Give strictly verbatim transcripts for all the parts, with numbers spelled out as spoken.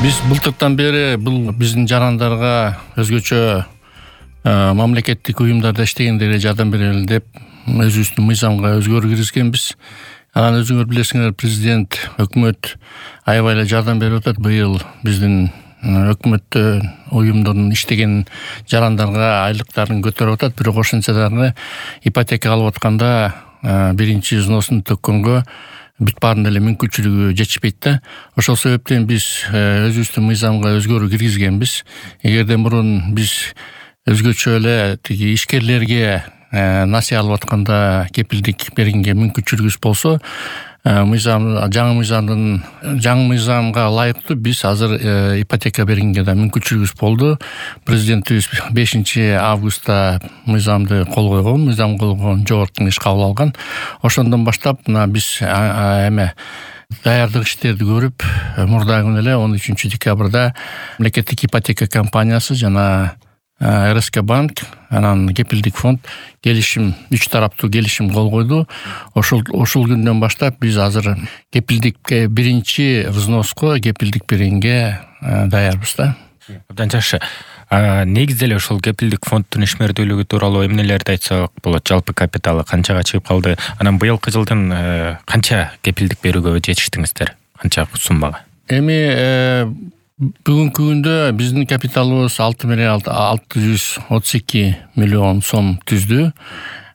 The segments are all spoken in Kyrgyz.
Биз былтыртан бери бул биздин жарандарга өзгөчө мамлекеттик уюмдарда иштегендерге жардам берели деп өзүбүздүн мыйзамга өзгөрүү киргизгенбиз. Анан өзүңөр билесиңер, президент, өкмөт аябай эле жардам берип атат. Быйыл биздин өкмөттө уюмдордун иштеген жарандарга айлыктарын көтөрүп атат. Бирок ошентсе дагы ипотека алып атканда биринчи взносун төккөнгө бүт баарын эле мүмкүнчүлүгү жетишпейт да. Ошол себептен биз өзүбүздүн мыйзамга өзгөрүү киргизгенбиз. Эгерде мурун биз өзгөчө эле тиги ишкерлерге насыя алып атканда кепилдик бергенге мүмкүнчүлүгүбүз болсо, мыйзам жаңы мыйзамдын жаңы мыйзамга ылайыктуу биз азыр ипотека бергенге да мүмкүнчүлүгүбүз болду. Президентибиз бешинчи августта мыйзамды кол койгон, мыйзам кол койгон, жогорку кеңеш кабыл алган. Ошондон баштап мына биз эме даярдык иштерди көрүп, мурда күнү эле он үчүнчү декабрда мамлекеттик ипотека компаниясы жана эр эс ка банк, анан кепилдик фонд келишим, үч тараптуу келишим кол койду. Ошол ошол күндөн баштап биз азыр кепилдикке биринчи взноско кепилдик бергенге даярбыз да. Абдан жакшы. Негизи эле ошол кепилдик фонддун ишмердүүлүгү тууралуу эмнелерди айтсак болот? Жалпы капиталы канчага чыгып калды? Анан быйылкы жылдын канча кепилдик берүүгө жетиштиңиздер? Канча суммага? Эми бүгүнкү күндө биздин капиталыбыз алты миллиард алты жүз отуз эки миллион сом түздү.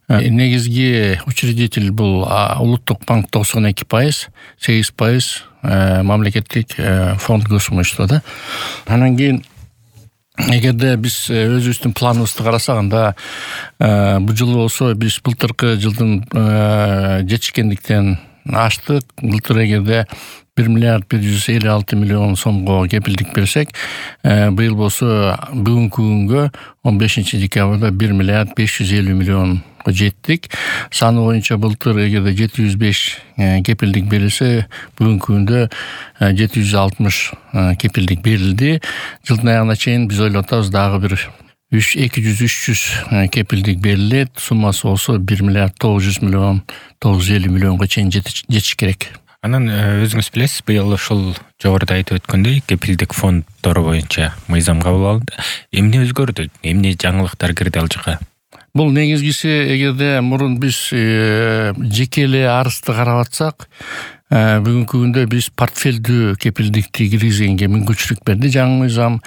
Негизги учредитель бул Улуттук банк токсон эки пайыз, сегиз пайыз мамлекеттик фонд госимущество да. Анан кийин эгерде биз өзүбүздүн планыбызды карасак, анда бул жылы болсо биз былтыркы жылдын жетишкендиктен аштык. Былтыр эгерде бир миллиард бир жүз элүү алты миллион сомго кепилдик берсек, быйыл болсо бүгүнкү күнгө он бешинчи декабрда бир миллиард беш жүз элүү миллионго жеттик. Саны боюнча былтыр эгерде жети жүз беш кепилдик берилсе, бүгүнкү күндө жети жүз алтымыш кепилдик берилди. Жылдын аягына чейин биз ойлоп атабыз дагы бир эки жүз үч жүз кепилдик берилет. Суммасы болсо бир миллиард тогуз жүз миллион тогуз жүз элүү миллионго чейин жетиш керек. Анан өзүңүз билесиз, быйыл ошол жогоруда айтып өткөндөй кепилдик фонддор боюнча мыйзам кабыл алынды. Эмне өзгөрдү? Эмне жаңылыктар кирди ал жака? Бул негизгиси, эгерде мурун биз жеке эле арызды карап атсак, бүгүнкү күндө биз портфелдүү кепилдикти киргизгенге мүмкүнчүлүк берди жаңы мыйзам.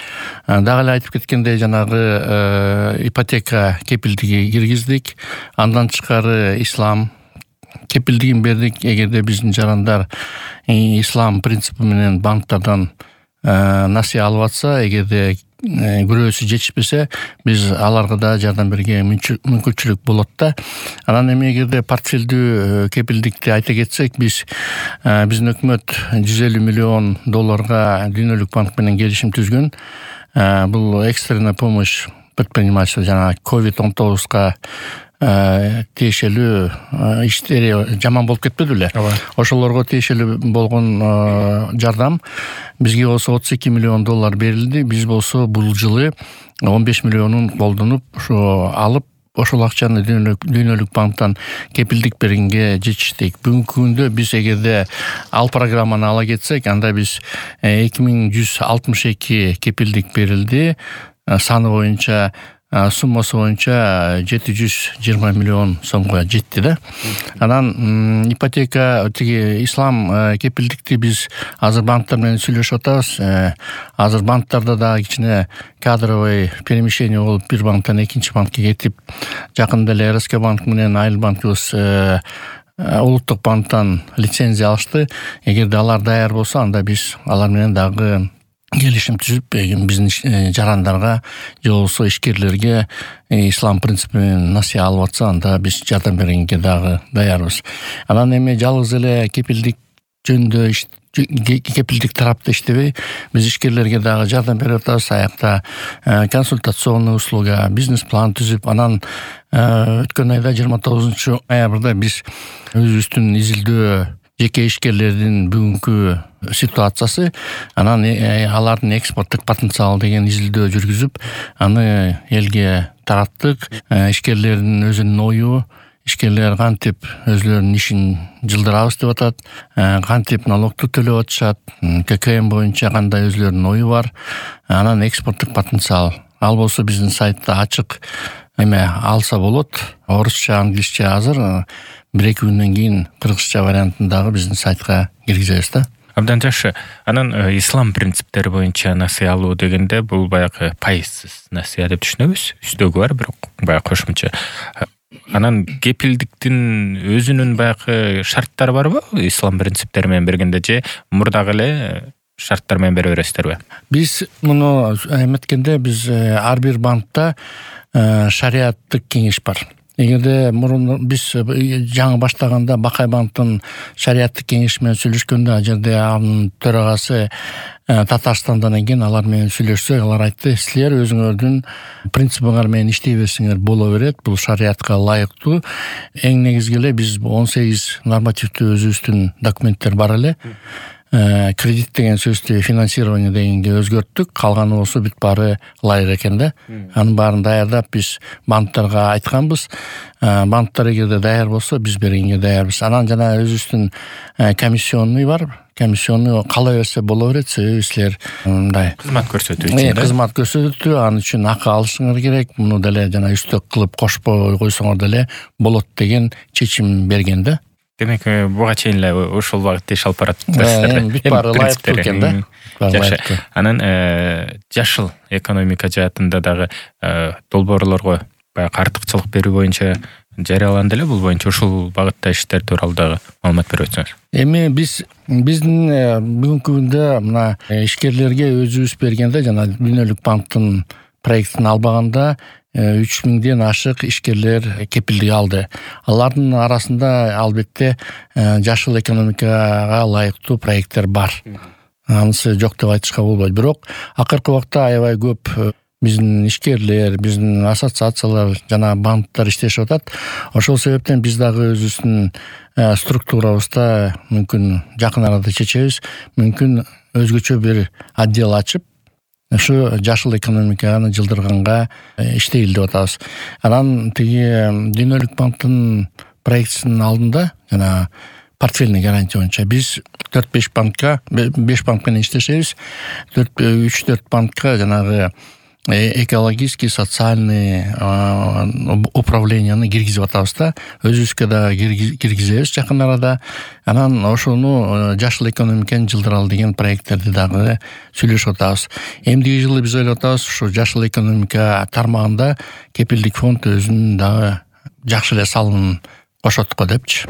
Дагы эле айтып кеткендей, жанагы ипотека кепилдиги киргиздик. Андан тышкары ислам кепилдигин бердик. Эгерде биздин жарандар ислам принципи менен банктардан насыя алып атса, эгерде күрөөсү жетишпесе, биз аларга да жардам берүүгө мүмкүнчүлүк болот да. Анан эми эгерде портфелдүү кепилдикти айта кетсек, биз биздин өкмөт жүз элүү миллион долларга Дүйнөлүк банк менен келишим түзгөн. Бул экстренная помощь предпринимательству, жана ковид он тогузга тиешелүү иштери жаман болуп кетпеди беле? Ошолорго тиешелүү болгон жардам бизге болсо отуз эки миллион доллар берилди. Биз болсо бул жылы он беш миллионун колдонуп, ошо алып, ошол акчаны Дүйнөлүк банктан кепилдик бергенге жетиштик. Бүгүнкү күндө биз эгерде ал программаны ала кетсек, анда биз эки миң жүз алтымыш эки кепилдик берилди. Саны боюнча, суммасы боюнча жети жүз жыйырма миллион сомго жетти да. Анан ипотека тиги ислам кепилдикти биз азыр банктар менен сүйлөшүп атабыз. Азыр банктарда дагы кичине кадровый перемещение болуп, бир банктан экинчи банкка кетип, жакында эле эр эс ка банк менен Айыл банкыбыз Улуттук банктан лицензия алышты. Эгерде алар даяр болсо, анда биз алар менен дагы келишим түзүп, биздин жарандарга же болбосо ишкерлерге ислам принципи менен насыя алып атса, анда биз жардам бергенге дагы даярбыз. Анан эми жалгыз эле кепилдик жөнүндө кепилдик тарапта иштебей, биз ишкерлерге дагы жардам берип атабыз. Аякта консультационный услуга, бизнес план түзүп, анан өткөн айда жыйырма тогузунчу ноябрда биз өзүбүздүн изилдөө жеке ишкерлердин бүгүнкү ситуациясы, анан алардын экспорттук потенциалы деген изилдөө жүргүзүп, аны элге тараттык. Ишкерлердин өзүнүн ою, ишкерлер кантип өзүлөрүнүн ишин жылдырабыз деп атат, кантип налогду төлөп атышат, ККМ боюнча кандай өзүлөрүнүн ою бар, анан экспорттук потенциал. Ал болсо биздин сайтта ачык эме алса болот. Орусча, англисче азыр, бир эки күндөн кийин кыргызча вариантын дагы биздин сайтка киргизебиз да. Абдан жакшы. Анан ислам принциптери боюнча насыя алуу дегенде бул баягы пайызсыз насыя деп түшүнөбүз. Үстөгү бар, бирок баягы кошумча. Анан кепилдиктин өзүнүн баягы шарттары барбы? Ислам принциптери менен бергенде же мурдагы эле шарттар менен бере бересиздерби? Биз муну эметкенде биз ар бир банкта шариаттык кеңеш бар. Эгерде мурун биз жаңы баштаганда Бакай банктын шариаттык кеңеши менен сүйлөшкөндө, ал жерде анын төрагасы Татарстандан экен, алар менен сүйлөшсөк, алар айтты, силер өзүңөрдүн принцибиңер менен иштей берсеңер боло берет, бул шариатка ылайыктуу. Эң негизги эле биз он сегиз нормативдүү өзүбүздүн документтер бар эле. Кредит деген сөздү финансирование дегенге өзгөрттүк. Калганы болсо бүт баары ылайык экен да. Анын баарын даярдап биз банктарга айтканбыз. Банктар эгерде даяр болсо биз бергенге даярбыз. Анан жана өзүбүздүн комиссионный бар. Комиссионный кала берсе боло берет. Себеби силер мындай кызмат көрсөтүү үчүн да. Кызмат көрсөтүү, анын үчүн акы алышыңар керек. Муну деле жана үстөк кылып кошпой койсоңор деле болот деген чечим берген да. Демек, буга чейин эле ошол багытта иш алып барат. Бүт баары ылайыктуу экен да. Жакшы. Анан жашыл экономика жаатында дагы долбоорлорго баягы артыкчылык берүү боюнча жарыяланды эле. Бул боюнча ушул багытта иштер тууралуу дагы маалымат берип өтсөңүз. Эми биз биздин бүгүнкү күндө мына ишкерлерге өзүбүз бергенде жана Дүйнөлүк банктын проектин албаганда үч миңден ашык ишкерлер кепилдик алды. Алардын арасында албетте жашыл экономикага ылайыктуу проекттер бар. Анысы жок деп айтышка болбойт. Бирок акыркы убакта аябай көп биздин ишкерлер, биздин ассоциациялар жана банктар иштешип атат. Ошол себептен биз дагы өзүбүздүн структурабызда мүмкүн жакын арада чечебиз, мүмкүн өзгөчө бир отдел ачып ушу жашыл экономиканы жылдырганга иштейли деп атабыз. Анан тиги Дүйнөлүк банктын проектисинин алдында жана портфельный гарантия боюнча биз төрт беш банкка, беш банк менен иштешебиз. үч төрт банкка жанагы экологический, социальный управленияны киргизип атабыз да. Өзүбүзгө дагы киргизебиз жакын арада. Анан ошону жашыл экономиканы жылдыралы деген проекттерди дагы сүйлөшүп атабыз. Эмдиги жылы биз ойлоп атабыз, ушу жашыл экономика тармагында кепилдик фонд өзүнүн дагы жакшы эле салымын кошот го депчи.